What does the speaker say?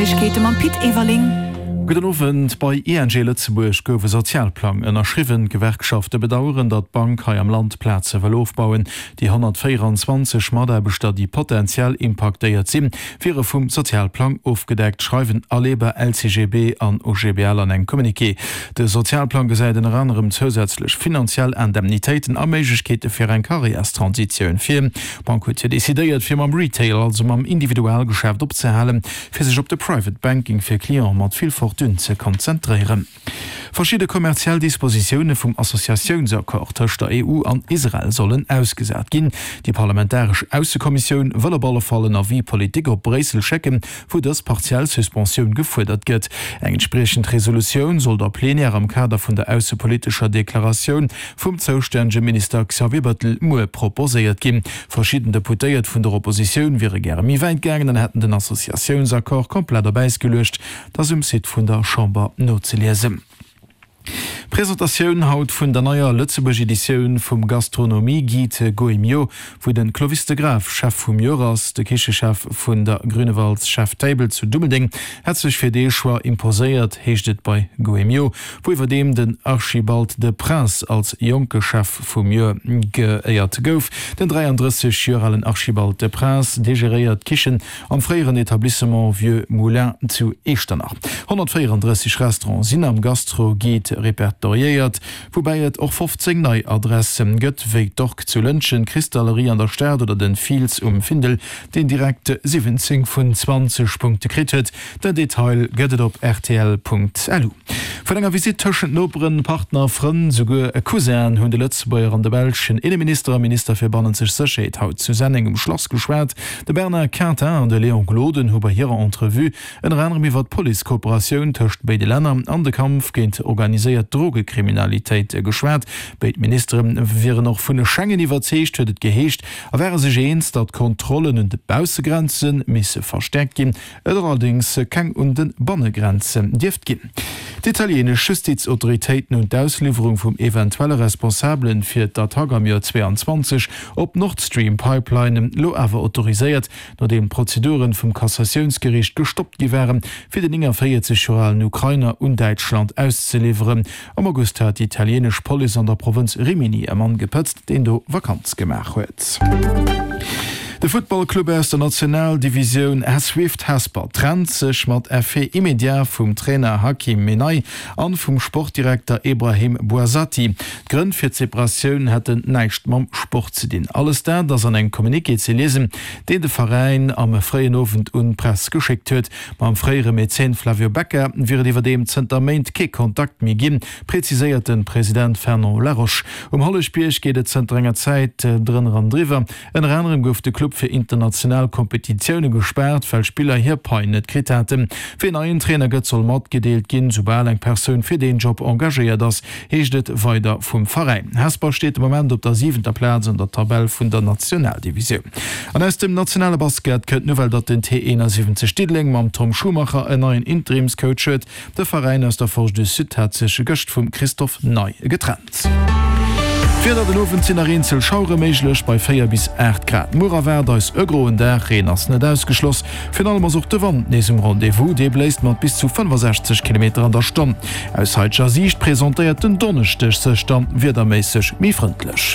Neiegkeete mam Pit Everling. Gudden Owend. Bei ING Lëtzebuerg gouf e Sozialplang ënnerschriwwen. D'Gewerkschafte bedaueren, datt d'Bank hei am Land Plaze wëll ofbauen. Déi 124 Mataarbechter, déi potentiell impaktéiert sinn, wiere vum Sozialplang ofgedeckt, schreiwen Aleba, LCGB an OGBL an engem Communiqué. De Sozialplang gesäit ënner anerem zousätzlech finanziell Indemnitéiten a Méiglechkeete fir eng Karriärstransitioun vir. D'Bank huet jo decidéiert, fir mam Retail, also mam Individualgeschäft opzehalen, fir sech op de Private Banking fir Cliente mat vill Fortune ze konzentréieren. Verschidde kommerziell Dispositioune vum Associatiounsaccord tëscht der EU an Israel sollen ausgesat ginn. Déi parlamentaresch Aussekommissioun wëll op alle Fall en Avis politique op Bréissel schécken, wou dës partiell Suspensioun gefuerdert gëtt. Eng entspriechend Resolutioun soll der Plenière am Kader vun der aussepolitescher Deklaratioun vum zoustännege Minister Xavier Bettel muer proposéiert ginn. Verschidden Deputéiert vun der Oppositioun wiere gäre méi wäit gaangen an hätten den Associatiounsaccord komplett op Äis geluecht. Dat ass um Site vun der Chamber nozeliesen. Presentatioun haut vun der neier Lëtzebuerg Editioun vum Gastronomie Guide Gault&Millau, wou den Clovis de Graaff Chef vum Joer ass. De Kichechef vun der Grünewalds Chef Table zu Dummeldeng hätt sech fir dee Choix imposéiert, heescht et bei Gault&Millau, wou iwwerdeem den Archibald de Prince als jonke Chef vum Joer geéiert gouf. Den 33 Joer alen Archibald de Prince, dee geréiert d'Kichen Am fréieren Etablissement Vieux Moulin zu Eechternach. 134 Restaurante sinn am Gastro-Guide repertoriéiert, woubäi et och 15 nei Adresse gëtt, wéi d'Orque zu Lëntgen, d'Cristallerie an der Stad oder den Fiels um Findel, deen direkt 17 vun 20 Punkte kritt huet. Den Detail gëtt et op rtl.lu. Vun enger Visitt tëschent Noperen, Partner, Frënn, souguer e Cousin hunn de Lëtzebuerger an de belschen Inneminister a Minister fir bannenzeg Sécherheet haut zu Senneng um Schlass geschwat. De Bernard Quintin an de Léon Gloden hu bei hirer Entrevue ënner anerem iwwer d'Police-Kooperatioun tëscht béide Länner an de Kampf géint organiséiert Drogekriminalitéit geschwat. Béid Ministere wieren och vun Schengen iwwerzeegt, huet et geheescht, a ware sech eens, datt d'Kontrollen un de Baussegrenze misse verstäerkt ginn. Et allerdéngs keng un de Bannegrenzen dierft ginn. D'italieenesch Justizautoritéiten hunn d'Ausliwwerung vum eventuelle Responsabele fir d'Attack am Joer 22 op d'Nord-Stream-Pipeline elo awer autoriséiert, nodeem d'Prozeduren vum Kassatiounsgeriicht gestoppt gi waren, fir den 49 Joer alen Ukrainer un Däitschland auszeliwweren. Am August hat déi italieenesch Police an der Provënz Rimini e Mann gepëtzt, deen do Vakanz gemaach huet. De Futtballclub aus der Nationaldivisioun Swift Hesper trennt sech mat Effet immédiat vum Trainer Hakim Menai an vum Sportdirekter Ebrahim Bouazati. D'Grënn fir d'Separatioun hätten näischt mam Sport ze dinn. Alles dat ass an engem Communiqué ze liesen, deen de Veräin am fréien Owend un d'Press geschéckt huet. Mam fréiere Mäzen Flavio Becca wier et iwwerdeem zënter Méint kee Kontakt méi ginn, preziséiert de President Fernand Laroche. Um Holleschbierg geet et zënter enger Zäit drënner an driwwer. Ënner anerem gouf de Club fir international Kompetitioune gespaart, well Spiller hir Pai net kritt haten. Ween neien Trainer gëtt, soll matgedeelt ginn, soubal eng Persoun fir deen Job engagéiert ass, heescht et weider vum Veräin. Hesper steet de Moment op der siwenter Plaz an der Tabell vun der Nationaldivisioun. An aus dem nationale Basket kënnt d'Nouvelle, datt den T71 Diddeleng mam Tom Schumacher en neien Interimscoach huet. De Veräin aus der Forge du Sud hat sech gëscht vum Christophe Ney getrennt. D'Wieder, Den Owend sinn nach eenzel Schauere méiglech bei 4 bis 8 Grad. Muer erwaart eis e groen Dag, Reen ass net ausgeschloss. Virun allem ass och de Wand nees um Rendez-vous, dee bléist mat bis zu 65 Kilometer an der Stonn. Aus haiteger Siicht presentéiert den Donneschdeg sech dann wiederméisseg méi frëndlech.